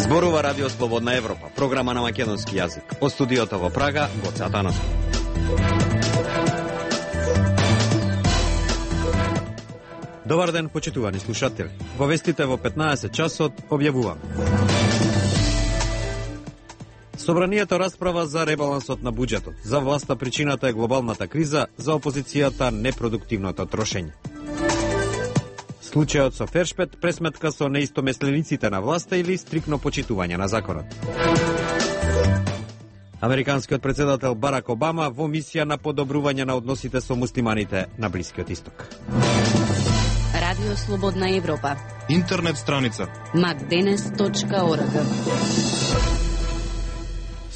Зборува Радио Слободна Европа, програма на македонски јазик. Од студиото во Прага, Гоце Атанасов. Добар ден, почитувани слушатели. Во вестите во 15 часот објавуваме. Собранието расправа за ребалансот на буџетот. За власта причината е глобалната криза, за опозицијата непродуктивното трошење. Случајот со Фершпет, пресметка со неистомеслениците на власта или стрикно почитување на законот. Американскиот председател Барак Обама во мисија на подобрување на односите со муслиманите на Блискиот Исток. Радио Слободна Европа. Интернет страница macdenes.org.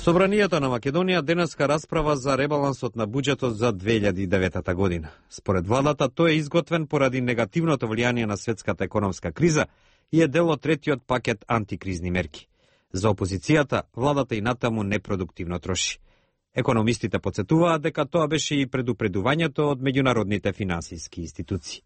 Собранието на Македонија денеска расправа за ребалансот на буџетот за 2009 година. Според владата, тој е изготвен поради негативното влијание на светската економска криза и е дел од третиот пакет антикризни мерки. За опозицијата, владата и натаму непродуктивно троши. Економистите подсетуваат дека тоа беше и предупредувањето од меѓународните финансиски институции.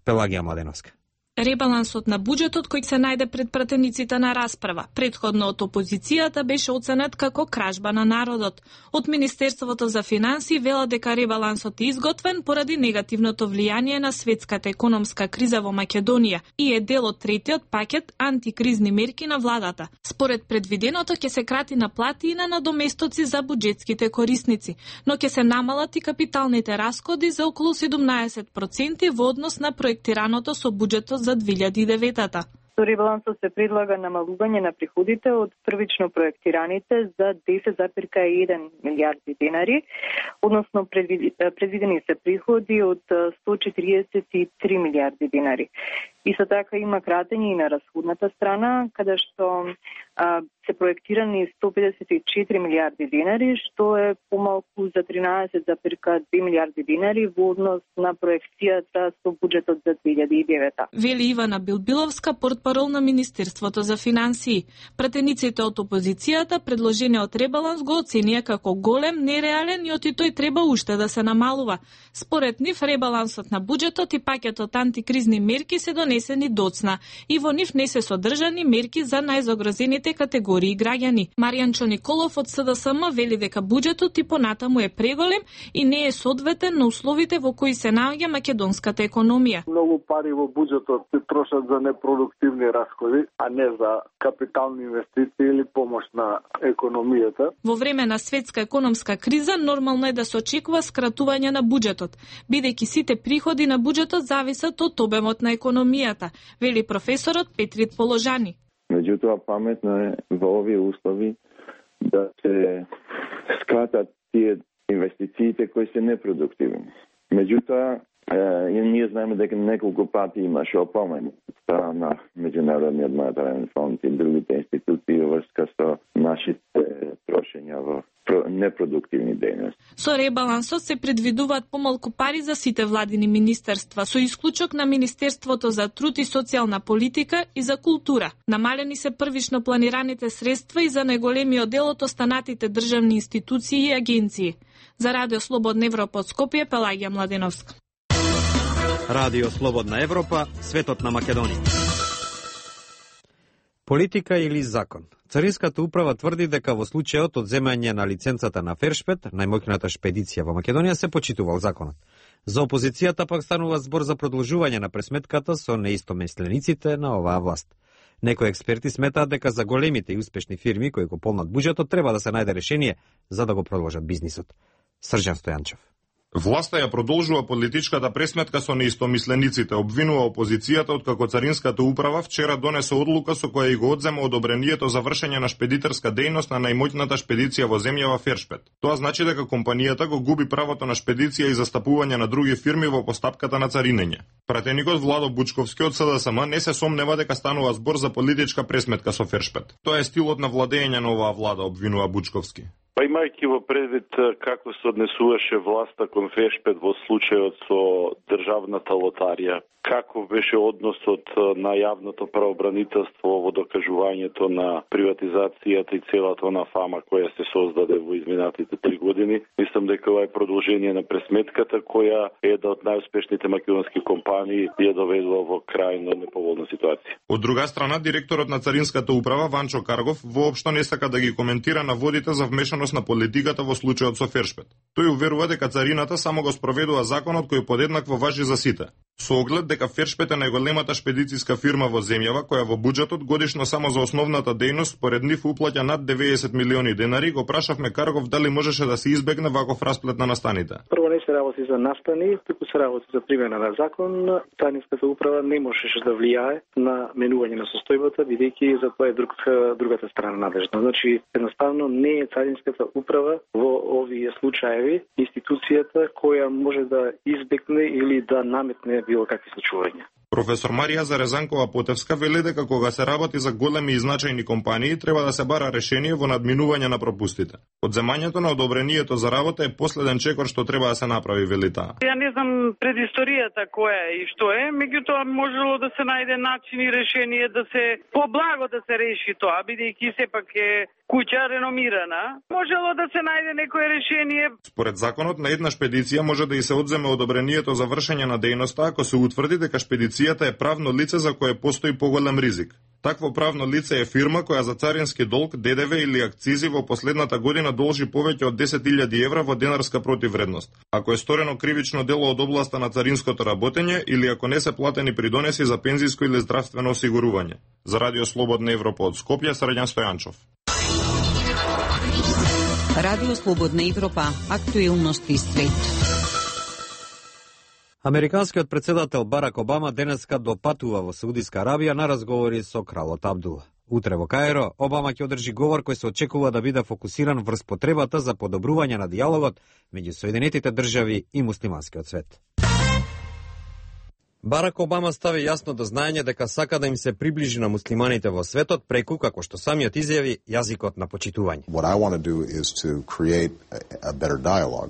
Пелагија Младеновска. Ребалансот на буџетот кој се најде пред пратениците на расправа, претходно од опозицијата, беше оценет како кражба на народот. Од Министерството за финансии вела дека ребалансот е изготвен поради негативното влијание на светската економска криза во Македонија и е дел од третиот пакет антикризни мерки на владата. Според предвиденото ќе се крати на плати и на надоместоци за буџетските корисници, но ќе се намалат и капиталните расходи за околу 17% во однос на проектираното со буџетот за 2009-та. Со ребалансот се предлага намалување на приходите од првично проектираните за 10,1 милијарди денари, односно предвидени се приходи од 143 милијарди денари. Исто така има кратење и на расходната страна, каде што се проектирани 154 милијарди денари, што е помалку за 13,2 милијарди денари во однос на проекцијата со буџетот за 2009. Вели Ивана Билбиловска, портпарол на Министерството за финансии. Пратениците од опозицијата предложениот ребаланс го оценија како голем, нереален и оти тој треба уште да се намалува. Според нив, ребалансот на буџетот и пакетот антикризни мерки се донесени доцна и во нив не се содржани мерки за најзагрозените категории граѓани. Маријанчо Николов од СДСМ вели дека буџетот и понатаму е преголем и не е соодветен на условите во кои се наоѓа македонската економија. Многу пари во буџетот се трошат за непродуктивни расходи, а не за капитални инвестиции или помош на економијата. Во време на светска економска криза нормално е да се очекува скратување на буџетот, бидејќи сите приходи на буџетот зависат од обемот на економијата, вели професорот Петрит Положани. Меѓутоа, паметно е во овие услови да се скратат тие инвестициите кои се непродуктивни. Меѓутоа, ние знаеме дека неколку пати имаше опомени од страна на Меѓународниот монетарен фонд и другите институции во врска со нашите трошења во непродуктивни дејности. Со ребалансот се предвидуваат помалку пари за сите владини министерства, со исклучок на Министерството за труд и социјална политика и за култура. Намалени се првично планираните средства и за најголемиот дел од останатите државни институции и агенции. За Радио Слободна Европа од Скопје, Пелагија Младеновска. Радио Слободна Европа, светот на Македонија. Политика или закон? Царинската управа тврди дека во случајот од земање на лиценцата на Фершпет, најмоќната шпедиција во Македонија, се почитувал законот. За опозицијата пак станува збор за продолжување на пресметката со неистомеслениците на оваа власт. Некои експерти сметаат дека за големите и успешни фирми кои го полнат буџетот треба да се најде решение за да го продолжат бизнисот. Срđan Стојанчев. Власта ја продолжува политичката пресметка со неистомислениците, обвинува опозицијата откако Царинската управа вчера донесе одлука со која и го одзема одобрението за вршење на шпедитерска дејност на најмоќната шпедиција во земјава Фершпет. Тоа значи дека компанијата го губи правото на шпедиција и застапување на други фирми во постапката на царинење. Пратеникот Владо Бучковски од СДСМ не се сомнева дека станува збор за политичка пресметка со Фершпет. Тоа е стилот на владење на оваа влада, обвинува Бучковски. Па имајќи во предвид како се однесуваше власта кон Фешпет во случајот со државната лотарија, како беше односот на јавното правобранителство во докажувањето на приватизацијата и целата она фама која се создаде во изминатите 3 години. Мислам дека ова е продолжение на пресметката која е една од најуспешните македонски компании ја доведува во крајно неповолна ситуација. Од друга страна, директорот на Царинската управа Ванчо Каргов воопшто не сака да ги коментира наводите за вмешаност на политиката во случајот со Фершпет. Тој уверува дека царината само го спроведува законот кој подеднакво важи за сите. Со оглед дека Фершпет е најголемата шпедициска фирма во земјава која во буџетот годишно само за основната дејност според нив уплаќа над 90 милиони денари, го прашавме Каргов дали можеше да се избегне ваков расплет на настаните. Прво не се работи за настани, туку се работи за примена на закон. Царинската управа не можеше да влијае на менување на состојбата, бидејќи за тоа е другата страна надлежна. Значи, едноставно не е Царинската управа во овие случаеви институцијата која може да избегне или да наметне било какви случувања. Професор Марија Зарезанкова-Потевска вели дека кога се работи за големи и значајни компании, треба да се бара решение во надминување на пропустите. Одземањето на одобрението за работа е последен чекор што треба да се направи, вели таа. Ја не знам предисторијата која е и што е, меѓутоа можело да се најде начин и решение да се поблаго да се реши тоа, бидејќи сепак е куќа реномирана. Можело да се најде некое решение. Според законот на една шпедиција може да и се одземе одобрението за вршење на дејноста ако се утврди дека шпедицијата е правно лице за кое постои поголем ризик. Такво правно лице е фирма која за царински долг, ДДВ или акцизи во последната година должи повеќе од 10.000 евра во денарска противвредност. Ако е сторено кривично дело од областа на царинското работење или ако не се платени придонеси за пензиско или здравствено осигурување. За Радио Слободна Европа од Скопје, Срđan Стојанчов. Радио Слободна Европа, актуелности свет. Американскиот председател Барак Обама денеска допатува во Саудиска Арабија на разговори со кралот Абдула. Утре во Каиро, Обама ќе одржи говор кој се очекува да биде фокусиран врз потребата за подобрување на дијалогот меѓу Соединетите држави и муслиманскиот свет. Барак Обама стави јасно до знаење дека сака да им се приближи на муслиманите во светот преку, како што самиот изјави, јазикот на почитување.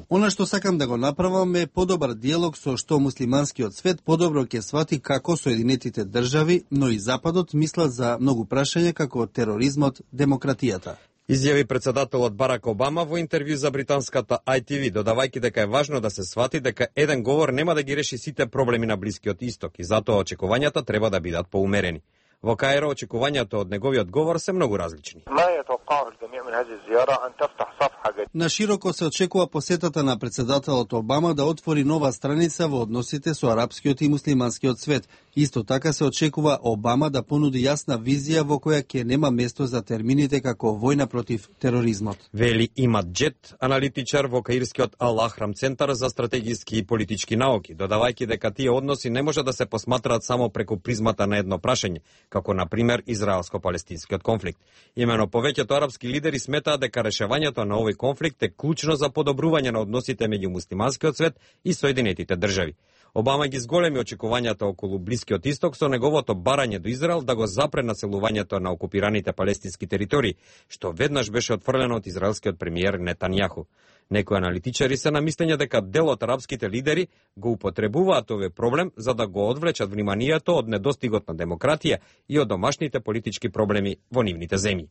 Она што сакам да го направам е подобар диалог со што муслиманскиот свет подобро ќе свати како Соединетите држави, но и Западот мислат за многу прашања како тероризмот, демократијата. Изјави председателот Барак Обама во интервју за британската ITV, додавајќи дека е важно да се свати дека еден говор нема да ги реши сите проблеми на Блискиот Исток и затоа очекувањата треба да бидат поумерени. Во Каиро очекувањата од неговиот говор се многу различни. На широко се очекува посетата на председателот Обама да отвори нова страница во односите со арапскиот и муслиманскиот свет. Исто така се очекува Обама да понуди јасна визија во која ќе нема место за термините како војна против тероризмот. Вели Имад Джет, аналитичар во Каирскиот Ал-Ахрам центар за стратегиски и политички науки, додавајќи дека тие односи не може да се посматраат само преку призмата на едно прашање, како на пример израелско-палестинскиот конфликт. Имено повеќето арапски лидери сметаат дека решавањето на овој конфликт е клучно за подобрување на односите меѓу муслиманскиот свет и Соединетите држави. Обама ги зголеми очекувањата околу Блискиот Исток со неговото барање до Израел да го запре населувањето на окупираните палестински територии, што веднаш беше отфрлено од израелскиот премиер Нетањаху. Некои аналитичари се на мислење дека дел од арапските лидери го употребуваат овој проблем за да го одвлечат вниманието од недостигот на демократија и од домашните политички проблеми во нивните земји.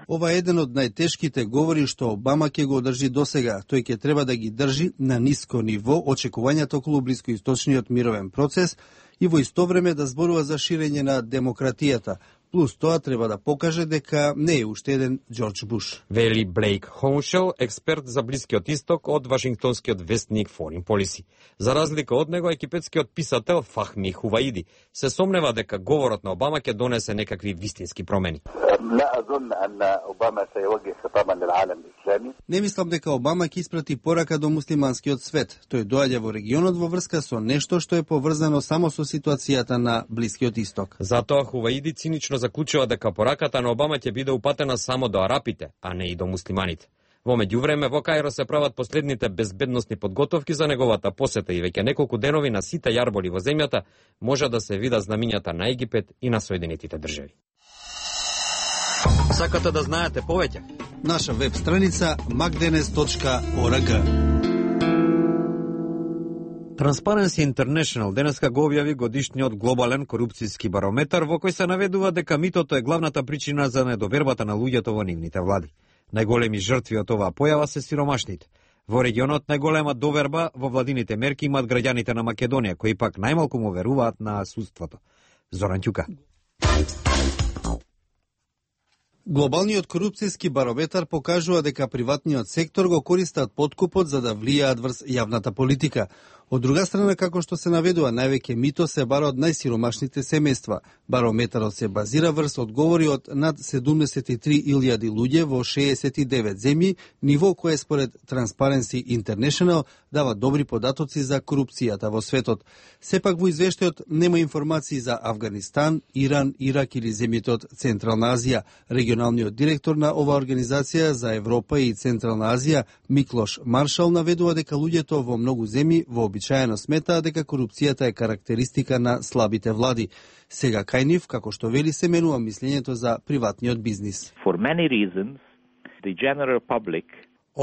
Ова е еден од најтешките говори што Обама ќе го одржи досега. Тој ќе треба да ги држи на ниско ниво очекувањата околу блискоисточниот мировен процес и во исто време да зборува за ширење на демократијата. Плюс тоа треба да покаже дека не е уште еден Џорџ Буш. Вели Блейк Хоуншел, експерт за Блискиот Исток од Вашингтонскиот вестник Foreign Policy. За разлика од него, египетскиот писател Фахми Хуваиди се сомнева дека говорот на Обама ќе донесе некакви вистински промени. Не мислам дека Обама ќе испрати порака до муслиманскиот свет. Тој доаѓа во регионот во врска со нешто што е поврзано само со ситуацијата на Блискиот Исток. Затоа Хуваиди цинично заклучува дека пораката на Обама ќе биде упатена само до арапите, а не и до муслиманите. Во меѓувреме во Каиро се прават последните безбедносни подготовки за неговата посета и веќе неколку денови на сите јарболи во земјата може да се видат знамињата на Египет и на Соединетите држави. Сакате да знаете повеќе? Наша веб страница macdenes.org. Transparency International денеска го објави годишниот глобален корупцијски барометар во кој се наведува дека митото е главната причина за недовербата на луѓето во нивните влади. Најголеми жртви од оваа појава се сиромашните. Во регионот најголема доверба во владините мерки имаат граѓаните на Македонија, кои пак најмалку му веруваат на судството. Зоран Ќука. Глобалниот корупцијски барометар покажува дека приватниот сектор го користат подкупот за да влијаат врз јавната политика. Од друга страна, како што се наведува, највеќе мито се бара од најсиромашните семејства. Барометарот се базира врз одговори од над 73.000 луѓе во 69 земји, ниво кое според Transparency International дава добри податоци за корупцијата во светот. Сепак во извештајот нема информации за Авганистан, Иран, Ирак или земјите од Централна Азија. Регионалниот директор на оваа организација за Европа и Централна Азија, Миклош Маршал, наведува дека луѓето во многу земји вообичаено сметаат дека корупцијата е карактеристика на слабите влади. Сега кај нив, како што вели, се менува мислењето за приватниот бизнис. For many reasons, the general public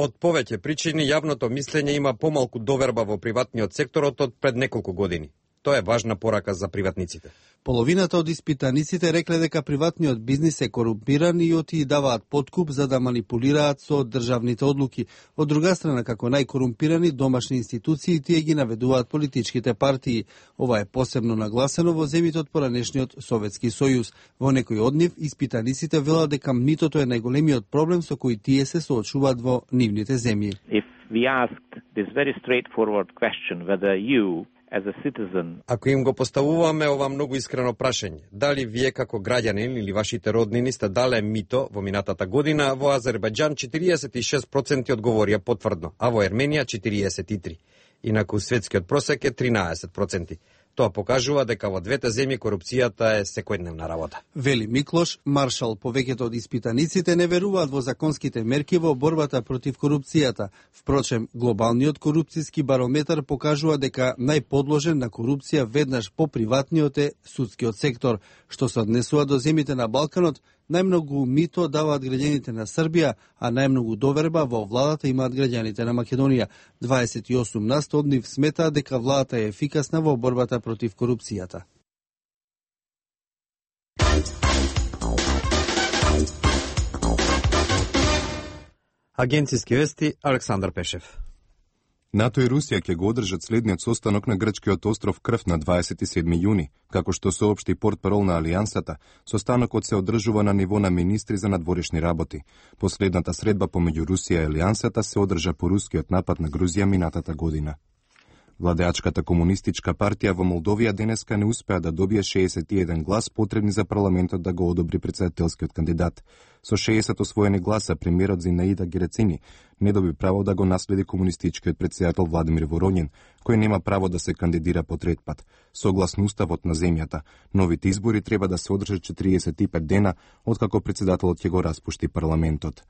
Од повеќе причини јавното мислење има помалку доверба во приватниот секторот од пред неколку години. Тоа е важна порака за приватниците. Половината од испитаниците рекле дека приватниот бизнис е корумпиран и оти даваат подкуп за да манипулираат со државните одлуки. Од друга страна, како најкорумпирани домашни институции, тие ги наведуваат политичките партии. Ова е посебно нагласено во земјите од поранешниот Советски сојуз. Во некои од нив, испитаниците велат дека митото е најголемиот проблем со кој тие се соочуваат во нивните земји. If we asked this very straightforward question whether you as a citizen. Ако им го поставуваме ова многу искрено прашање, дали вие како граѓанин или вашите роднини сте дале мито во минатата година, во Азербајџан 46% одговорија потврдно, а во Ерменија 43%. Инаку светскиот просек е 13%. Тоа покажува дека во двете земји корупцијата е секојдневна работа. Вели Миклош Маршал, повеќето од испитаниците не веруваат во законските мерки во борбата против корупцијата. Впрочем, глобалниот корупцијски барометар покажува дека најподложен на корупција веднаш по приватниот е судскиот сектор. Што се однесува до земјите на Балканот, најмногу мито даваат граѓаните на Србија, а најмногу доверба во владата имаат граѓаните на Македонија. 28% од нив сметаат дека владата е ефикасна во борбата против корупцијата. Агенцијски вести Александар Пешев. НАТО и Русија ќе го одржат следниот состанок на грчкиот остров Крф на 27 јуни, како што соопшти портпарол на Алијансата. Состанокот се одржува на ниво на министри за надворешни работи. Последната средба помеѓу Русија и Алијансата се одржа по рускиот напад на Грузија минатата година. Владеачката комунистичка партија во Молдовија денеска не успеа да добие 61 глас потребни за парламентот да го одобри претседателскиот кандидат. Со 60 освоени гласа премиерот Зинаида Герецини не доби право да го наследи комунистичкиот претседател Владимир Воронин, кој нема право да се кандидира по трет пат. Согласно уставот на земјата, новите избори треба да се одржат 45 дена откако претседателот ќе го распушти парламентот.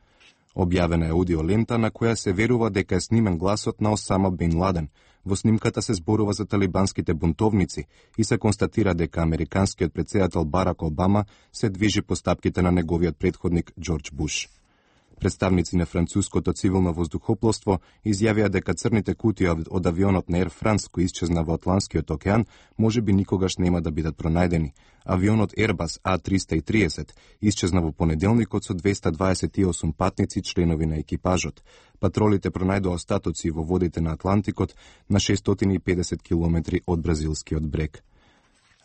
Објавена е аудиолента на која се верува дека е снимен гласот на Осама Бин Ладен. Во снимката се зборува за талибанските бунтовници и се констатира дека американскиот претседател Барак Обама се движи по стапките на неговиот претходник Џорџ Буш. Представници на француското цивилно воздухопловство изјавија дека црните кутии од авионот на Air France кој исчезна во Атлантскиот океан можеби никогаш нема да бидат пронајдени. Авионот Airbus A330 исчезна во понеделникот со 228 патници членови на екипажот. Патролите пронајдоа остатоци во водите на Атлантикот на 650 километри од бразилскиот брег.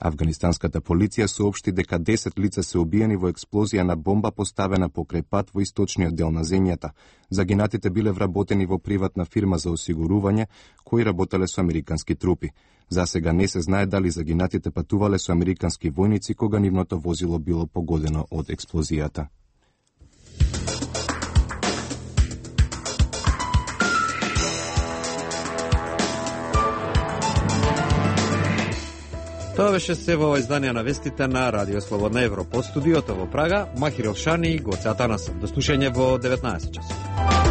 Афганистанската полиција соопшти дека 10 лица се убиени во експлозија на бомба поставена покрај пат во источниот дел на земјата. Загинатите биле вработени во приватна фирма за осигурување, кои работеле со американски трупи. За сега не се знае дали загинатите патувале со американски војници кога нивното возило било погодено од експлозијата. Тоа беше се во издание на вестите на Радио Слободна Европа. Од студиото во Прага, Махир Елшани и Гоце Атанасов. До слушање во 19 часот.